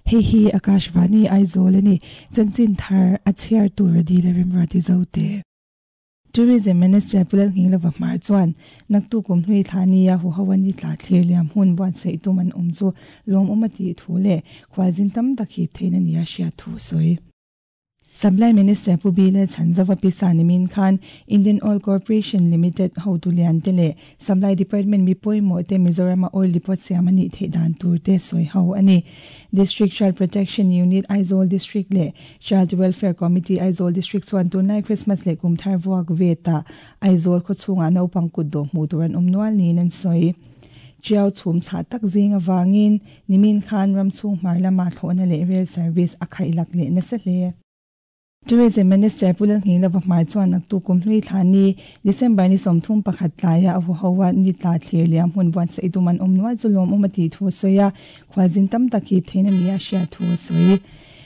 Hei hi Akashvani Aizawl a ni. Chanchin thar a chhiar tur a dil a remruati zote. Tourism Minister Pu Lalnghinglova Hmar chuan naktuk kum hlui thla nia huho a ni tla thlir liam hun buatsaih tum an awm chu lawmawm a tih thu leh khualzin tam tak hip theihna nia hriat thu a sawi. Supply Minister Pu Bilal Chhanzova pisa nimin khan Indian Oil Corporation Limited hotu lian te leh Supply Department mi pawimawh te Mizorama oil depot siam a nih theih dan tur te sawi ho a ni. District Child Protection Unit Aizawl District leh Child Welfare Committee Aizawl District chuan tunlai Christmas leh kum thar vuak vetah Aizawl khawchhungah naupang kutdawh hmuh tur an awm nual niin an sawi. Tiau chhum chhah tak zing avangin nimin khan ram chhung hmar lama thlawhna leh rail service a khaihlak leh nasa hle. Tourism Minister Pu Lalngheilova Hmar chuan naktuk kum hlui thla ni, December ni 31 tlaia a huho a ni tla thlir liam hun buatsaih tum an awm nual chu lawmawm a tih thu a sawi a, khualzin tam tak hip theihna nia hriat thu a sawi.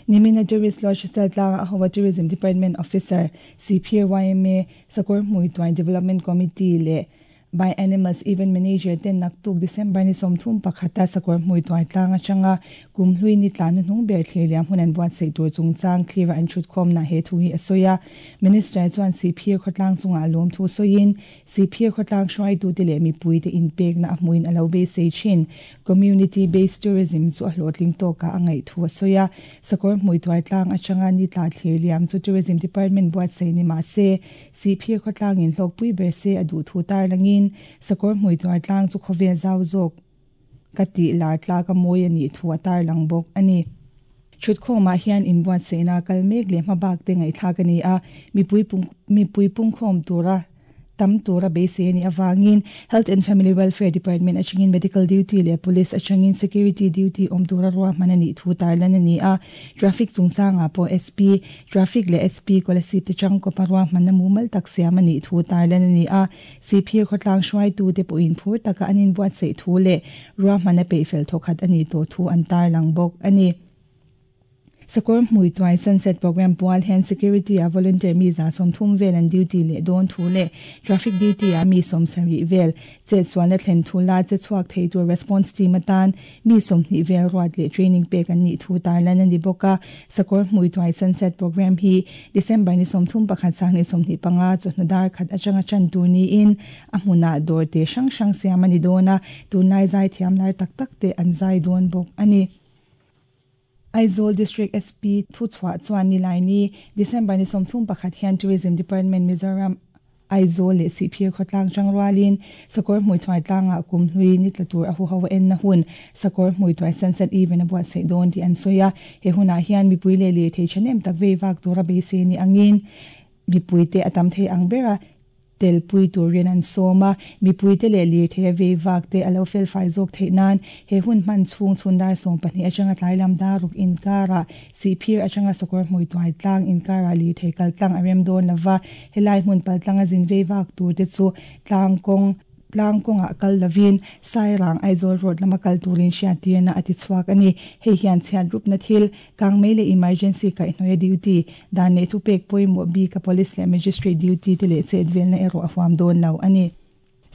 Nimina Tourist Lodge Chaltlanga a ho a Tourism Department Officer, Sihphir yma, Sakawr Hmuituai Development Committee leh By Animals Event Manager ten naktuk December ni 31 a sakawr hmui tuai tlang atanga kum hlui ni tla hnuhnung ber thlir liam hun an buatsaih tur chungchang thlir a an thutkhawmna he thu hi a sawi a. Minister chuan Sihphir khawtlang chungah lawm thu sawiin Sihphir khawtlang hruaitute leh mipuite inpekna a hmuin a lo beisei thin. Community Based Tourism chu a hlawhtling tawkah a ngaih thu a sawi a. Sakawr hmui tuai tlang atanga ni tla thlir liam chu Tourism Department buatsaih ni mah se, Sihphir khawtlangin hlawkpui ber se a duh thu tarlangin sakawr hmui tuar tlang chu khawvel zau zawk ka tih lar tlak a mawi a nih thu a tarlang bawk a ni. Thutkhawmah hian inbuatsaihna kal mek leh hmabak te ngaihthlak a ni a, mipui mipui pungkhawm tura tam tura beisei a nih avangin Health and Family Welfare Department atangin Medical Duty leh Police atangin Security Duty awm tura ruahman a nih thu tarlan a ni a, Traffic chungchangah pawh SP Traffic leh SP Kolasib te changkawpa ruahmanna mumal tak siam a nih thu tarlan a ni a, Sihphir khawtlang hruaitute pawhin phur taka an inbuatsaih thu leh ruahmanna peihfel thawkhat a nih tawh thu an tarlang bawk a ni. Sakawr hmui tuai Sunset Programme pual hian Security a volunteer mi 30 vel an duty leh dawn thu leh Traffic duty ah mi 70 vel chetsualna thlen thu la che chhuak thei tur response team atan Mi 20 vel ruat leh training pek an nih thu tarlan a ni bawk a, Sakawr Hmui Tuai Sunset Programme hi December ni 31 2025 chawhnu dar khat atanga tan tur niin a hmunah dawr te hrang hrang siam a ni dawn a, tunlai zai thiam lar tak tak te an zai dawn bawk a ni. Aizawl District SP thuchhuah chuan Nilaini, December ni 31 hian Tourism Department Mizoram Aizawl leh Sihphir khawtlang chang rualin Sakawr Hmuithuai tlangah kum hlui ni tla tur a huho a enna hun Sakawr Hmuithuai Sunset Event a buatsaih dawn tih an sawi a. He hunah hian mipui leh lirthei thahnem tak vei vak tura beisei ni angin mipuite a tam thei ang bera telpui turin an sawm a, mipuite leh lirthei a vei vak te a lo felfai zawk theih nan he hun hman chhung chhun dar 12 atanga tlai lam dar ruk inkarah Sihphir atanga Sakawr hmui tuai tlang inkarah lirthei kal tlang a rem dawn lova, helai hmun pal tlanga zin vei vak tur te chu tlang kawng tlang kawngah kal lovin Sairang Aizawl road lama kal turin hriattirna a ti chhuak a ni. Hei hian chhiat rupna thil, kangmei leh emergency kaihhnawia duty, dan leh thupek pawimawh bika police leh magistrate duty te leh chetvelna erawh a huam dawn lo a ni.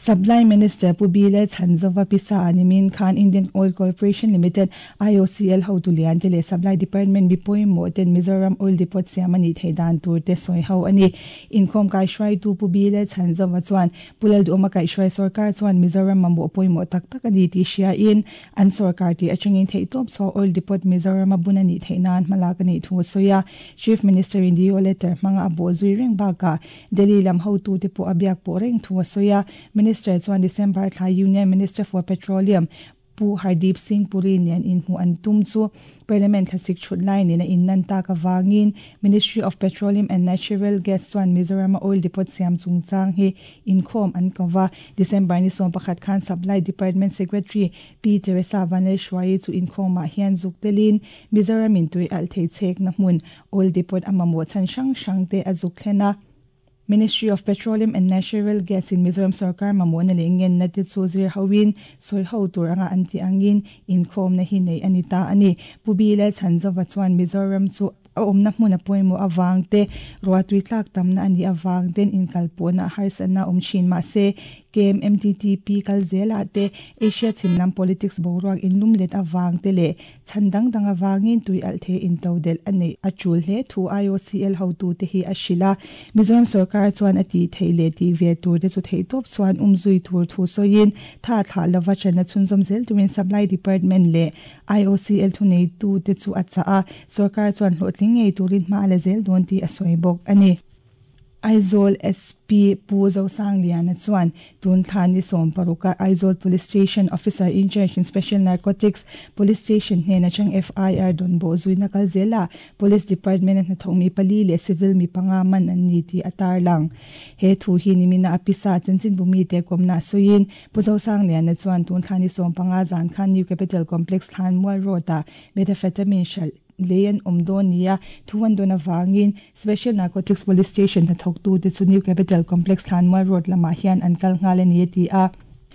Supply Minister Pu Bilal Chhanzova pisa a nimin khan Indian Oil Corporation Limited, IOCL, hotu lian te leh Supply Department mi pawimawh ten Mizoram Oil Depot siam a nih theih dan tur te sawi ho a ni. Inkhawm kaihhruaitu Pu Bilal Chhanzova chuan Pu Lalduhawma kaihhruai sorkar chuan Mizoram mamawh pawimawh tak tak a ni tih hriain an sorkar tih atangin theihtawp chhuah Oil Depot Mizorama bun a nih theih nan hmalak a nih thu a sawi a. Chief Minister in DO letter hmanga a bawhzui reng bakah Delhi lam hotute pawh a biak pawh reng thu a sawi a. Minister chuan December thla Union Minister for Petroleum Pu Hardeep Singh Puri nen inhmuh an tum chu Parliament thlasik thut lai nen a innan tak avangin Ministry of Petroleum and Natural Gas chuan Mizorama oil depot siam chungchang hi inkhawm an ko va. December ni 11 khan Supply Department Secretary Pi Teresa Vanlalhruaii chu inkhawmah hian zuk telin Mizoram in tui alh thei chhekna hmun Oil depot a mamawh chhan hrang hrang te a zuk thlen a. Ministry of Petroleum and Natural Gas in Mizoram sorkar mamawhna leh ngenna te chu zir hoin sawi ho tur anga an tih angin inkhawmna hi nei a ni ta a ni. Pu Bilal Chhanzova chuan Mizoram chu a awmna hmun a pawimawh avang te, ruahtui tlak tamna a nih avang ten inkalpawhna harsatna awm thin mahse KMMTTP kal zelah te Asia chhim lam politics boruak inlum let avang te leh chhan dang dang avangin tui alh thei intodelh a neih a tul hle thu IOCL hotute hi a hrilh a. Mizoram sorkar chuan a tih theih leh tih ve tur te chu theihtawp chuan umzui tur thu sawiin tha thlah lova channa chhunzawm zel turin Supply Department leh IOCL thuneitute chu a chah a, sorkar chuan hlawhtling ngei turin hma a la zel dawn tih a sawi bawk a ni. Aizawl SP Pu Zosangliana chuan tun thla ni 16 a Aizawl Police Station Officer in Charge in Special Narcotics Police Station hnen atang FIR dawn bawh zuina kal zela Police Department a hnathawk mi pali leh civil mi panga man an ni tih a tarlang. He thu hi nimina a pisa chanchinbu mite kawmna sawiin Pu Zosangliana chuan tun thla ni 15 zan khan New Capital Complex Thlanmual Road-ah methamphetamine hralh lei an awm dawn nia thu an dawn avangin Special Narcotics Police Station hnathawktute chu New Capital Complex Thlanmual Road lamah hian an kal nghal a ni a ti a.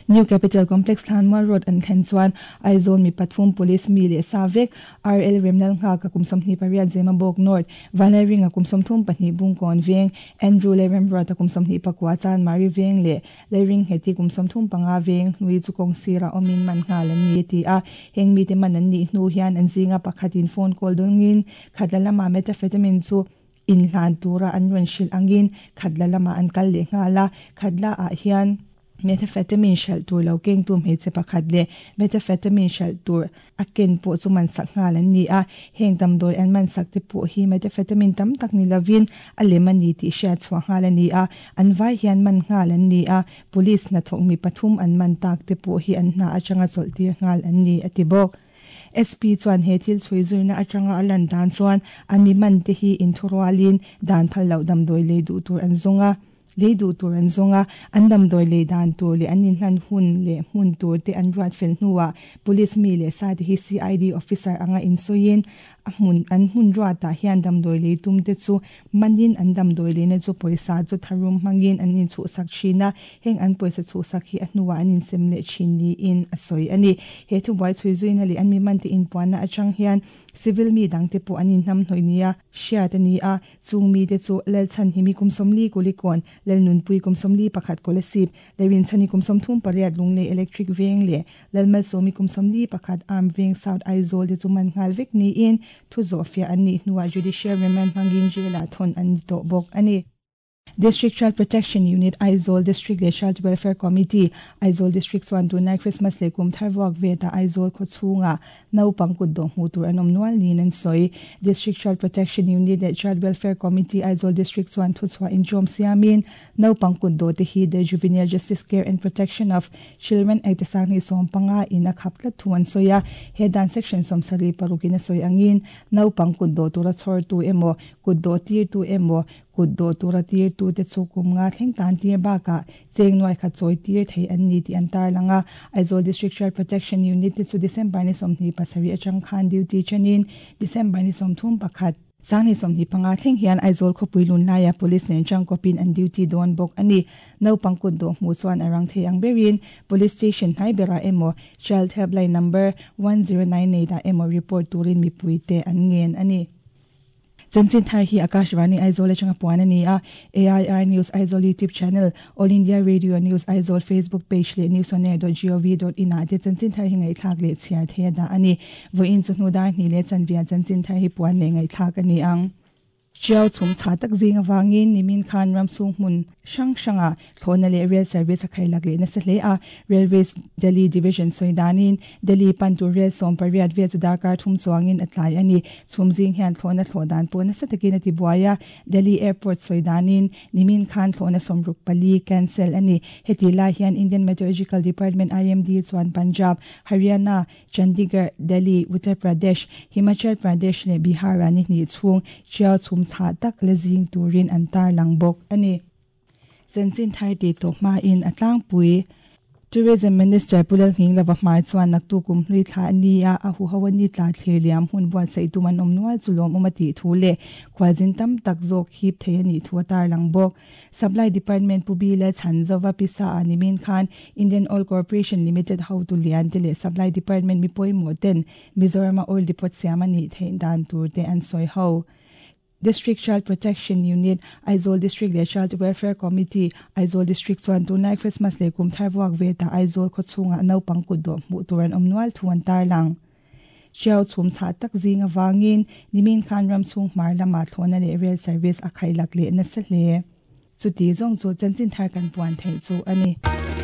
New Capital Complex Thlanmual Road an thlen chuan Aizawl mi pathum Police mi leh sa vek RL Remlal Nghaka kum 28 Zemabawk North, Vanlalringa kum 32 Bungkawn Veng, Andrew Lalremruata kum 24 Chanmari Veng leh Leiringheti kum 35 veng hlui chu kawng sirah awmin man nghal an ni a ti a. Heng mite man an nih hnu hian an zinga pakhatin phone call dawngin khatla lamah methamphetamine chu inhlan tura an rawn hrilh angin khatla lamah an kal leh nghal a. Khatla ah hian methamphetamine hralh tur lo kengtu hmeichhe pakhat leh methamphetamine hralh tur a ken pawh chu man sak nghal an ni a. Heng damdawi an man sak te pawh hi methamphetamine tam tak ni lovin a lem a ni tih hriat chhuah nghal a ni a. An vai hian man nghal an ni a, police hnathawk mi pathum an man tak te pawh hi an hna atanga chawlh tir nghal an ni, a ti bawk. SP chuan he thil chhui zuina atanga a lan dan chuan a mi man te hi inthurualin dan phal loh damdawi lei duh tur an zawng a. Lei duh tur an zawng a, an damdawi lei dan tur leh an inhlan hun leh hmun tur te an ruat fel hnuah Police mi leh sa te hi CID officer anga insawiin a hmun an hmun ruatah hian damdawi lei tum te chu manin an damdawi leina chu pawisa chu tharum hmangin an inchhuhsak thin a, heng an pawisa chhuhsak hi a hnuah an insem leh thin niin a sawi a ni. He thubuai chhui zuina leh an mi mante inpuanna atang hian civil mi dangte pawh an inhnamhnawih nia hriat a ni a. Chung mite chu Lalchhanhimi kum 40 Kulikawn, Lalnunpui kum 41 Kolasib, Leirinchhani kum 38 Lunglei Electric Veng leh Lalmalsawmi kum 41 Armed Veng South Aizawl te chu man nghal vek niin thu zawhfiah an nih hnuah Judicial Remand hmangin jail-ah thawn an ni tawh bawk a ni. District Child Protection Unit, Aizawl District leh Child Welfare Committee, Aizawl District chuan tunlai Christmas leh kum thar vuak vetah Aizawl khaw chhungah Naupang kut dawh hmuh tur an awm nual niin an sawi. District Child Protection Unit leh Child Welfare Committee Aizawl District chuan thuchhuah inṭawm siamin naupang kut dawh te hi The Juvenile Justice Care and Protection of Children Act 2015 in a khap tlat thu an sawi a. He dan section 76 in a sawi angin naupang kut dawh tura chhawrtu emaw, kut dawh tirtu emaw, Kut dawh tura tirtute chu kum nga thleng tan tir bakah cheng nuai khat chawi tir thei an ni tih an tarlang a. Aizawl District Child Protection Unit te chu December ni 27 atang khan duty chenin December ni 31, 2025 thleng hian Aizawl khawpui lun laia Police nen tangkawpin an duty dawn bawk a ni. Naupang kut dawh hmuh chuan a rang thei ang berin Police Station hnai berah emaw Child Helpline Number 1098 ah emaw report turin mipuite an ngen a ni. Chanchin thar hi Akashvani Aizawl atanga puan a ni a, AIR News Aizawl YouTube channel, All India Radio News Aizawl Facebook page leh newsonair.gov.in ah te chanchin thar hi ngaihthlak leh chhiar thei a dah a ni. Vawiin chu hnu dar hnih leh chanvia chanchin thar hi puan leh ngaihthlak a ni ang. Tiau chhum chhah tak zing avangin nimin khan ramchhung hmun hrang hrangah Thlawhna leh Rail Service a khailak leh nasa hle a, Railways Delhi Division sawi danin Delhi pan tur rel 18 vel chu darkar thum chuangin a tlai a ni. Chhum zing hian thlawhna thlawh dan pawh nasa takin a ti buai a, Delhi Airport sawi danin nimin khan thlawhna 64 cancel a ni. Heti lai hian Indian Meteorological Department, IMD, chuan Punjab, Haryana, Chandigarh, Delhi, Uttar Pradesh, Himachal Pradesh leh Bihar-ah ni hnih chhung tiau chhum chhah tak la zing turin an tarlang bawk a ni. Chanchin thar tih tawh hmain a tlangpui. Tourism Minister Pu Lalnghinglova hmai chuan naktu kum hlui thla a ni a, a huho a ni tla thlir liam hun buatsaih tum an awm nual chu lawmawm a tih thu leh khualzin tam tak zawk hip thei a nih thu a tarlang bawk. Supply Department Pu Bi Lalchhanzova pisa ah nimin khan Indian Oil Corporation Limited hotu lian te leh Supply Department mi pawimawh ten Mizorama oil depot siam a nih theih dan tur te an sawi ho. District Child Protection Unit, Aizawl District leh Child Welfare Committee, Aizawl District chuan tunlai Christmas leh kum thar vuak ve ta Aizawl khaw chhungah naupang kut dawh hmuh tur an awm nual thu an tarlang. Hriau chhum chhah tak zing avangin nimin khan ram chhung hmar lamah thlawhna leh rail service a khaihlak leh nasa hle. Chuti zawng chu chanchin thar kan puan theih chu a ni.